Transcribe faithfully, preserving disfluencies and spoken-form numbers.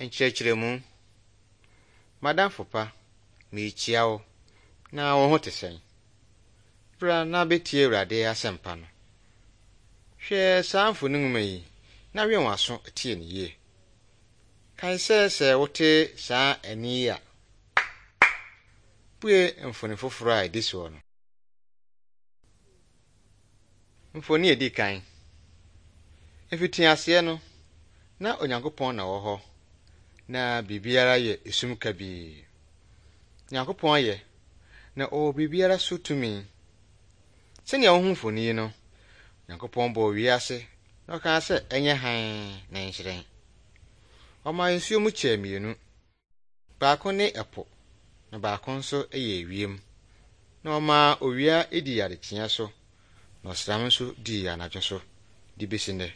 Nkyerɛkyerɛmu. Madamfo pa, merekyia wo na wo ho te sɛn? Bra na betie Awurade asɛmpa no. Hwɛ saa mfoni nwoma yi na wɛn w'aso tie ne yie. Kae sɛ sɛ wote saa ani yi a, bue mfoni foforo a edi soɔ no. Mfoni edi kan. Efiti aseɛ no, na Onyankopɔn na wɔ hɔ, na biribiara yɛ esum kabii. Onyankopɔn yɛ, na ɔwɔ biribiara so tumi. Sɛnea wohu mfoni yi no, Onyankopɔn bɔɔ wiase na ɔkaa sɛ ɛnyɛ hann na nhyerɛn. Ɔmaa nsuo mu kyɛɛ mmienu. Baako ne ɛpo, na baako nso yɛ ewiem. Na ɔmaa owia edi adekyea so, na ɔsram nso dii anadwo so, de besi nnɛ.